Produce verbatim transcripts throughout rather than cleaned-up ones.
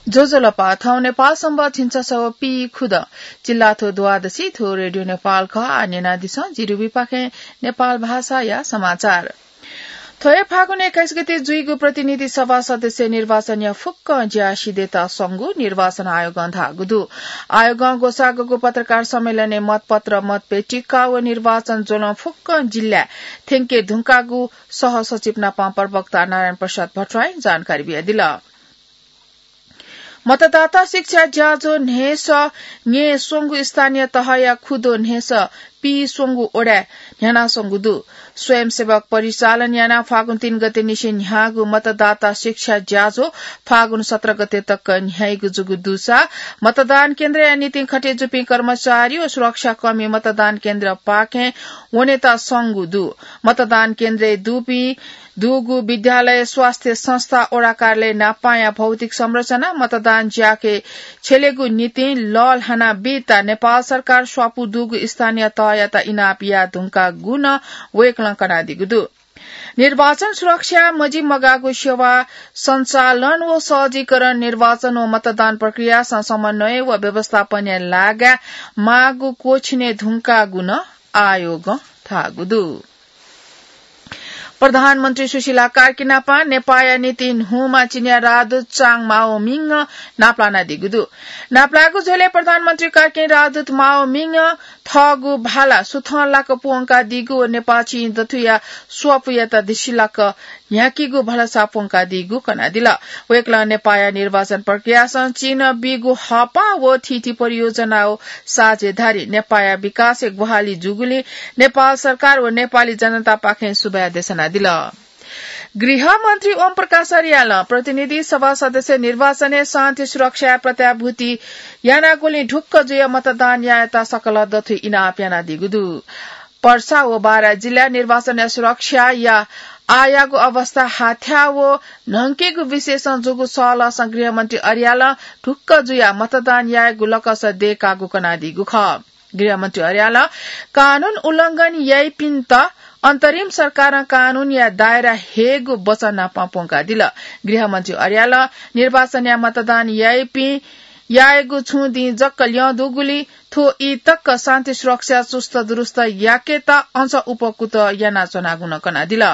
ज्वजलपा, थौं नेपाल संवत् झिंछसः व पीखुदँ चिल्लाथ्व द्वादशी, थ्व रेडियो नेपाल खः। आः न्यनादिसँ जिरिविपाखें नेपाल भाषाया समाचार। थ्व हे फागुन एक्काइस गते जुइगु प्रतिनिधि सभा सदस्य निर्वाचनया फुक्कं ज्या सिधयेत संगु निर्वाचन आयोगं धाःगु दु। आयोगं ग्वसाःगु पत्रकार सम्मेलनय् मतपत्र, मतपेटिका व निर्वाचन ज्वलं फुक्कं जिल्लाय् थ्यंके धुंकाःगु सहसचिव नापं प्रवक्ता नारायण प्रसाद भट्टराईं जानकारी बियादिल। मतदाता शिक्षा ज्याझ्वः न्हय्सः न्यय् स्वंगु स्थानीय तहया खुद्वः न्हय्सः पीस्वंगु वडाय् न्ह्यानाच्वंगु दु। स्वयंसेवक परिचालन यानाः फागुन तीन गते निसें न्ह्याःगु मतदाता शिक्षा ज्याझ्वः फागुन सत्र गते तक न्ह्याइगु जूगु दुसा मतदान केन्द्रया निंतिं खटे जूपिं कर्मचारी व सुरक्षाकर्मी मतदान केन्द्रपाखें वनेत संगु दु। मतदान केन्द्रय् दुपिं दुगु विद्यालय, स्वास्थ्य संस्था, वडा कार्यालय नापांया भौतिक संरचना मतदान ज्याखँय् छ्यलेगु निंतिं लःल्हाना बीत नेपाल सरकार स्वापू दुगु स्थानीय तहयात इनाप याये धुंकाःगु नं वय्कलं कनादीगु दु। निर्वाचन सुरक्षा, मजिमगाःगु सेवा सञ्चालन व सहजीकरण, निर्वाचन व मतदान प्रक्रियासं समन्वय व व्यवस्थापनया लागाय् माःगु क्वःछिने धुंकाःगु नं आयोगं धाःगु दु। प्रधानमन्त्री सुशीला कार्की नापं नेपाःया निंतिं न्हूम्ह चिनियाँ राजदूत चाङ माओमिङ नापलानादीगु दु। नापलाःगु झ्वलय् प्रधानमन्त्री कार्कीं राजदूत माओमिङं थःगु भाला सुथंलाक प्वंकादीगु व नेपाः चिं दथुया स्वापूयात दिसिलाक न्ह्याकीगु भलसा प्वंकादीगु कनादिल। वय्कलं नेपाःया निर्वाचन प्रक्रियासं चीनं बीगु हःपाः व थीथी परियोजना व साझेदारी नेपाःया विकासय् ग्वाहालि जूगुलिं नेपाल सरकार व नेपाली जनतापाखें सुभाय् देछानादिल। गृहमन्त्री ओम प्रकाश अर्यालं प्रतिनिधि सभा सदस्य निर्वाचनय् शान्ति सुरक्षाय् प्रत्याभूति यानागुलिं ढुक्क जुयाः मतदान यायेत सकल दथुइ इनाप यानादीगु दु। पर्सा व बारा जिल्ला निर्वाचनया सुरक्षाया आःयागु अवस्था हाथ्याः व न्हंकेगु विषयसं जूगु सल्लाहसं गृहमन्त्री अर्यालं ढुक्क जुयाः मतदान यायेगु लकस दयेकागु कनादीगु खः। गृहमन्त्री अर्यालं कानून उल्लंघन याइपिन्त अन्तरिम सरकारं कानूनया दायरा हयेगु वचन नापं प्वंकादिल। गृहमन्त्री अर्यालं निर्वाचनया मतदान याइपिं यायेगु छुं दिं जक ल्यं दुगुलिं थ्व ई तक शान्ति सुरक्षा चुस्त दुरुस्त याकेत अझ उपकुत यानाच्वनागु नं कनादिल।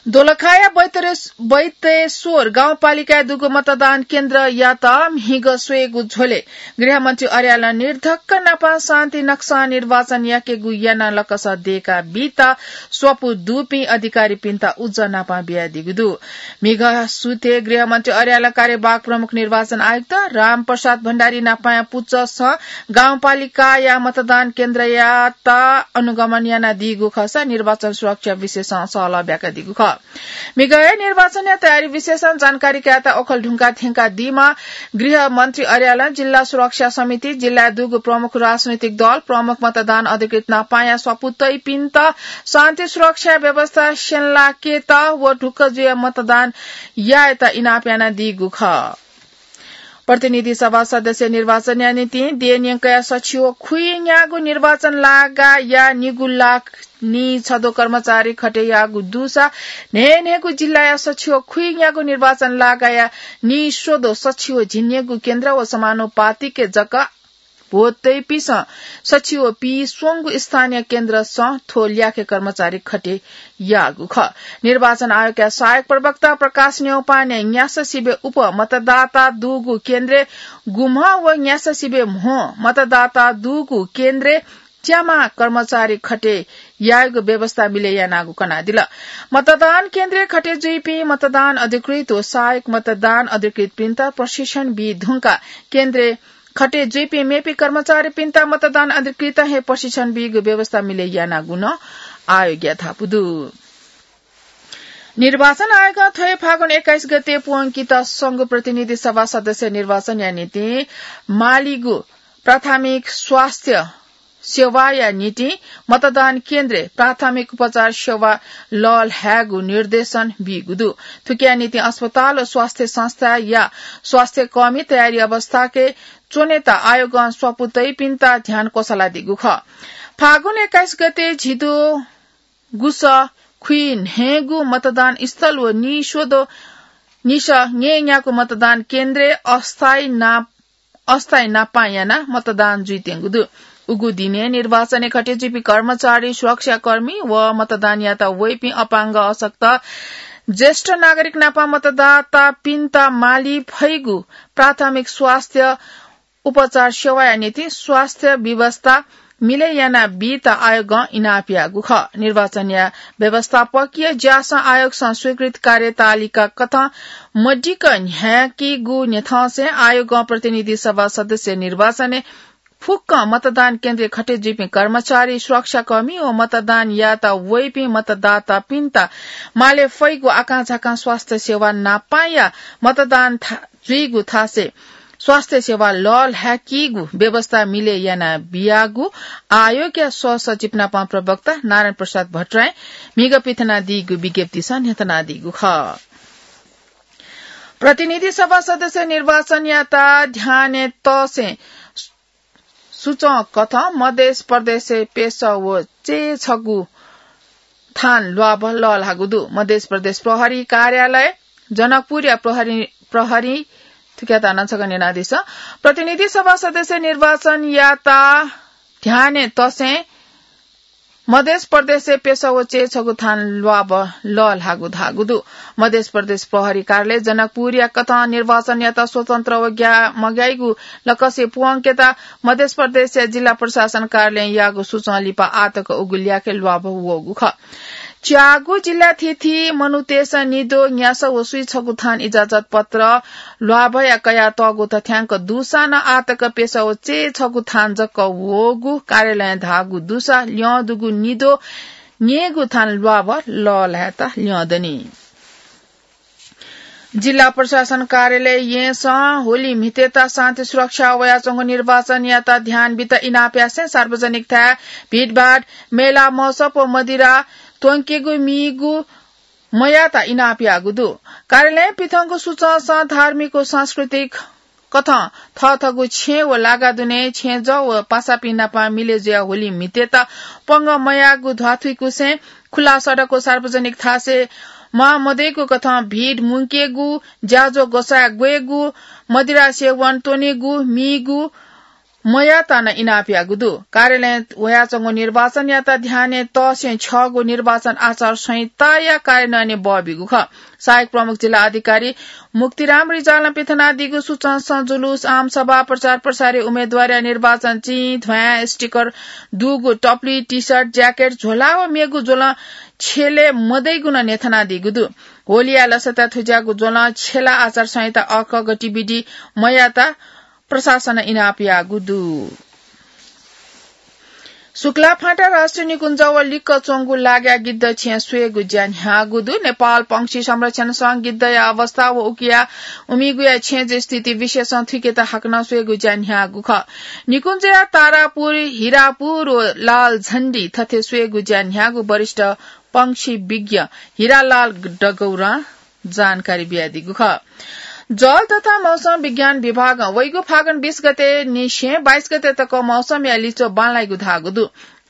दोलखाया बैतरे-, बैतेश्वर गाउँपालिकाय् दुगु मतदान केन्द्रयात म्हिगः स्वयेगु झ्वलय् गृहमन्त्री अर्यालं निर्धक्क नापं शान्ति नक्सां निर्वाचन याकेगु याना लकस दयेका बीत स्वापू दुपिं अधिकारीपिन्त उज्जं नापं बियादीगु दु। म्हिगः सुथय् गृहमन्त्री अर्यालं कार्यवाहक प्रमुख निर्वाचन आयुक्त रामप्रसाद भण्डारी नापंया पुचःसं गाउँपालिकाया मतदान केन्द्रयात अनुगमन यानादीगु खःसा निर्वाचन सुरक्षा विषयसं सल्लाह ब्याकादीगु खः। म्हिगःया निर्वाचनया तयारी विषयसं जानकारी कायेत ओखलढुङ्गा थ्यंकादीम्ह गृहमन्त्री अर्यालं जिल्ला सुरक्षा समिति, जिल्लाय् दुगु प्रमुख राजनैतिक दल, प्रमुख मतदान अधिकृत नापंया स्वापू तइपिन्त शान्ति सुरक्षा व्यवस्था स्यंलाकेत व ढुक्क जुयाः मतदान यायेत इनाप यानादीगु खः। प्रतिनिधि सभा सदस्य निर्वाचनया निंतिं देय् न्यंकया सछि व खुइन्यागू निर्वाचन लागाया निगू लाख नीछदँ कर्मचारी खटे याःगु दुसा न्हय्न्हय्गू जिल्लाया सछि व खुइन्यागू निर्वाचन लागाया नीस्वदँ सछि व झिंन्यंगू केन्द्र व समानुपातिक जक भोट तइपिंसं सछि व पीस्वंगू स्थानीय केन्द्रसं थ्व ल्याखय् कर्मचारी खटे याःगु खः। निर्वाचन आयोगया सहायक प्रवक्ता प्रकाश न्यौपाने न्यासः सिबय् उप मतदाता दुगु केन्द्रय् गुम्हं व न्यासः सिबय् म्हो मतदाता दुगु केन्द्रय् च्याम्ह कर्मचारी खटे यायेगु व्यवस्था मिले यानागु कनादिल। मतदान केन्द्रय् खटे जुइपिं मतदान अधिकृत व सहायक मतदान अधिकृतपिन्त प्रशिक्षण बी धुंकाः केन्द्रय् खटे जुइपिं मेपिं कर्मचारीपिन्त मतदान अधिकृतं हे प्रशिक्षण बीगु व्यवस्था मिले यानागु नं आयोगया धापू दु। निर्वाचन आयोगं थ्व हे फागुन एक्काइस गते प्वंकेत संगु प्रतिनिधि सभा सदस्य निर्वाचनया निंतिं मालीगु प्राथमिक स्वास्थ्य सेवाया निंतिं मतदान केन्द्रय् प्राथमिक उपचार सेवा लःल्हायेगु निर्देशन बीगु दु। थुकिया निंतिं अस्पताल व स्वास्थ्य संस्थाया स्वास्थ्य कर्मी तयारी अवस्थाय् च्वनेत आयोगं स्वापू तइपिन्त ध्यान क्वसलादीगु खः। फागुन एक्काइस गते झिद्वः गुसः खुइन्हय्गू मतदान स्थल व नीस्वदँ निसः न्येन्यागु मतदान केन्द्रय् अस्थायी नाप अस्थायी नापं यानाः मतदान जुइत्यंगु दु। उगु दिनय् निर्वाचनय् घटे जुइपिं कर्मचारी, सुरक्षाकर्मी व मतदान यायेत वइपिं अपाङ्ग, अशक्त, ज्येष्ठ नागरिक नापं मतदातापिन्त माली फइगु प्राथमिक स्वास्थ्य उपचार सेवाया निंतिं स्वास्थ्य व्यवस्था मिले याना बीत आयोगं इनाप याःगु खः। निर्वाचनया व्यवस्थापकीय ज्यासं आयोगसं स्वीकृत कार्यतालिका कथं मदिक्क न्ह्याकीगु न्ह्यथंसें आयोगं प्रतिनिधि सभा सदस्य निर्वाचनय् फुक्क मतदान केन्द्रय् घटे जुइपिं कर्मचारी, सुरक्षाकर्मी व मतदान यायेत वइपिं मतदातापिन्त माले फइगु आकांझाकां स्वास्थ्य सेवा नापं या मतदान था-, जुइगु थासय् स्वास्थ्य सेवा लःल्हाकीगु व्यवस्था मिले याना बियागु आयोगया सहसचिव नापं प्रवक्ता नारायण प्रसाद भट्टराईं म्हिगः पिथनादीगु विज्ञप्तिसं न्ह्यथनादीगु खः। प्रतिनिधि सभा सदस्य निर्वाचनयात ध्यानय् तःसें सूचं कथं मधेस प्रदेशय् प्यसः व चय्छगू थान ल्वाभः लःल्हाःगु दु। मधेस प्रदेश प्रहरी कार्यालय जनकपुरया प्रहरी, प्रहरी थुकियात नं छकः न्यनादिसँ। प्रतिनिधि सभा सदस्य निर्वाचनयात ध्यानय् तःसें मधेस प्रदेशय् प्यसः व चय्छगू थान ल्वाभः लःल्हाःगु धाःगु दु। मधेस प्रदेश प्रहरी कार्यालय जनकपुरया कथं निर्वाचनयात स्वतन्त्र व ग्या-, मग्याइगु लकसय् प्वंकेत मधेस प्रदेशया जिल्ला प्रशासन कार्यालयं याःगु सूचं लिपा आःतक उगु ल्याखय् ल्वाभः वःगु खः। च्यागू जिल्ला थीथी मनूतय्सं निद्वः, न्यासः व स्वीछगू थान इजाजत पत्र ल्वाभःया कयातःगु तथ्यांक दुसां नं आःतक प्यसः व चय्छगू थान जक वःगु कार्यालयं धाःगु दुसा ल्यं दुगु निद्वः न्यय्गू थान ल्वाभः लःल्हायेत ल्यं दनि। जिल्ला प्रशासन कार्यालय येँसं होली म्हितेत शान्ति सुरक्षा वयाच्वंगु निर्वाचनयात ध्यान बीत इनाप यासें सार्वजनिक थाय् भिडभाड, मेला, महोत्सव व मदिरा त्वंकेगु मीगु मयात इनाप याःगु दु। कार्यालयं पिथंगु सूचंसं धार्मिक व सांस्कृतिक कथं थःथःगु छेँ व लागा दुने छेँजः व पासापिं नाप मिले जुयाः होली म्हितेत पंगः मयाःगु ध्वाथुइकुसें खुला सडक व सार्वजनिक थासय् म्वाः मदइगु कथं भिड मुंकेगु, ज्याझ्वः ग्वसाय् ग्वयेगु, मदिरा सेवन त्वनेगु, मीगु, मयात नं इनाप याःगु दु। कार्यालयं वयाच्वंगु निर्वाचनयात ध्यानय् तःसें छगू निर्वाचन आचार संहिताया कार्यान्वयनय् बः बीगु खः। सहायक प्रमुख जिल्ला अधिकारी मुक्तिराम रिजालं पिथनादीगु सूचंसं जुलुस, आमसभा, प्रचार प्रसारय् उम्मेदवारया निर्वाचन चिं, ध्वाँय्, स्टिकर दुगु टप्ली, टी-सर्ट, ज्याकेट, झोला व मेगु ज्वलं छ्यले मदइगु नं न्ह्यथनादीगु दु। होलिया लसताय् थुज्याःगु ज्वलं छ्यला आचार संहिता अःखः गतिविधि मयात प्रशासनं इनाप याःगु दु। शुक्लाफाँटा राष्ट्रिय निकुञ्ज व लिक्क च्वंगु लाग्या गिद्ध छेँ स्वयेगु ज्या न्ह्याःगु दु। नेपाल पंक्षी संरक्षण संघं गिद्धया अवस्था व उकिया उमिगुया छेँजः स्थिति विषयसं थुइकेत हाकनं स्वयेगु ज्या न्ह्याःगु खः। निकुञ्जया तारापुर, हिरापुर व लालझण्डी थथे स्वयेगु ज्या न्ह्याःगु वरिष्ठ पंक्षी विज्ञ हिरालाल डगौरां जानकारी बियादीगु खः। जल तथा मौसम विज्ञान विभागं वइगु फागुन बीस गते निसें बाइस गते तक मौसमया लिच्वः बांलाइगु धाःगु दु।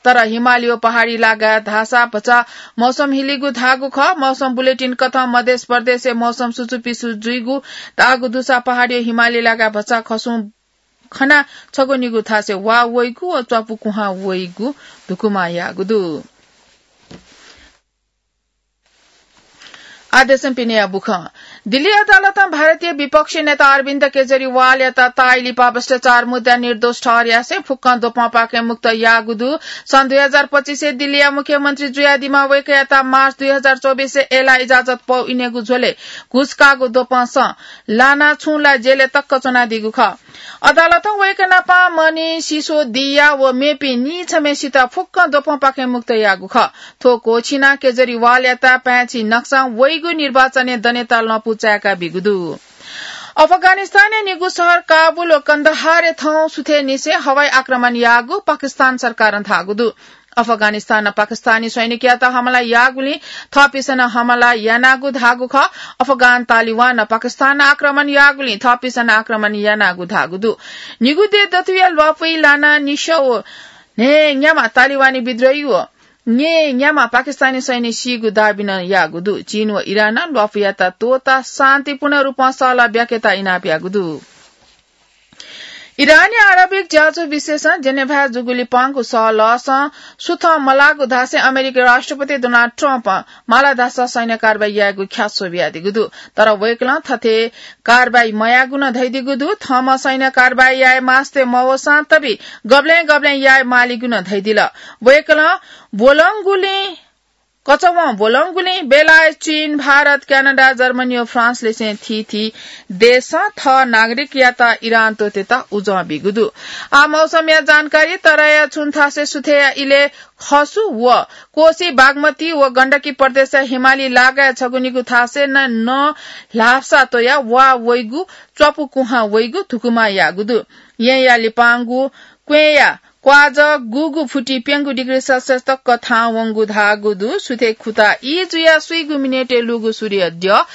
तर हिमाली व पहाडी लागा धाःसा भचा मौसम हिलीगु धाःगु खः। मौसम बुलेटिन कथं मधेस प्रदेशय् मौसम सुचुपिसु जुइगु धाःगु दुसा पहाडी व हिमाली लागा भचा खसुं खना छगू निगू थासय् वा वइगु व च्वापु कुहां वइगु धुकुमा याःगु दु। आदेशं पिनेया बुखँ। दिल्ली अदालतं भारतीय विपक्षी नेता अरविन्द केजरीवालयात ताःई लिपा भ्रष्टाचार मुद्दा निर्दोष ठहरयासें फुक्कं द्वपंपाखें मुक्त याःगु दु। सन् दुई हजार पच्चिसय् दिल्लीया मुख्यमन्त्री जुयादीम्ह वय्कःयात मार्च दुई हजार चौबिसय् अय्लाः इजाजत पौ इनेगु झ्वलय् घुस काःगु द्वपंसं लानाः छुं ला जेलय् तक्क च्वनादीगु खः। अदालतं वय्कः नाप मनिष सिसोदिया व मेपिं नीछम्हेसित फुक्कं द्वपंपाखें मुक्त याःगु खः। थ्व क्वःछिनाः केजरीवालयात पाय्छि नकसां वइगु निर्वाचनय् दनेत लँपु चाय्का बीगु दु। अफगानिस्तानया निगू शहर काबुल व कन्दहारय् थौं सुथय्निसें हवाई आक्रमण याःगु पाकिस्तान सरकारं धाःगु दु। अफगानिस्तानं पाकिस्तानी सैनिकयात हमला याःगुलिं थःपिन्सं नं हमला यानागु धाःगु खः। अफगान तालिबानं पाकिस्तानं आक्रमण याःगुलिं थःपिन्सं नं आक्रमण यानागु धाःगु दु। निगू देय् दथुया ल्वापुइ लानाः निसः व न्हय्न्याम्ह तालिबानी विद्रोही व न्येन्याम्ह पाकिस्तानी सैन्य सीगु दाबी नं याःगु दु। चीन व इरानं ल्वापुयात त्वःताः शान्तिपूर्ण रूपं सहलह ब्याकेत इनाप याःगु दु। इरानी आणविक ज्याझ्वः विशेषं जेनेभाय् जूगु लिपांगु सहलहसं सुथं मलाःगु धासें अमेरिकी राष्ट्रपति डोनाल्ड ट्रम्पं माला धाःसा सैन्य कारवाही यायेगु ख्याच्वः बियादीगु दु। तर वय्कलं थथे कारवाही मयायेगु नं धयादीगु दु। थःम्हं सैन्य कारवाही याये मास्ति मवःसां तबि गबलें गबलें याये मालीगु नं धयादिल। वय्कलं ब्वलंगुलिं कचवं ब्वलंगुलिं बेलायत, चीन, भारत, क्यानाडा, जर्मनी व फ्रान्स लिसें थीथी देशं थः नागरिकयात इरान त्वःतेत उजं बीगु दु। आः मौसमया जानकारी। तराईया छुं थासय् सुथय्या इलय् खसु व कोसी, बागमती व गण्डकी प्रदेशया हिमाली लागाय् छगू निगू थासय् नं नं ल्हासा त्वयाः वा वइगु, च्वापु कुहां वइगु धुकुमा याःगु दु। येँया लिपांगु क्वेंया क्वाजः गुगु फुति प्यंगू डिग्री सेल्सियस तक थाहां वंगु धाःगु दु। सुथय् खुता ई जुयाः स्वीगू मिनेटय् लुगु सूर्य द्यः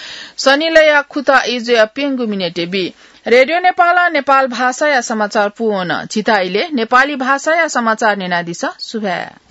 सनिलया खुता ई जुयाः प्यंगू मिनेटय् बी। रेडियो नेपालं नेपाल भाषाया समाचार पूवन। झीत इलय् नेपाली भाषाया समाचार न्यनादिसँ। सुभाय्।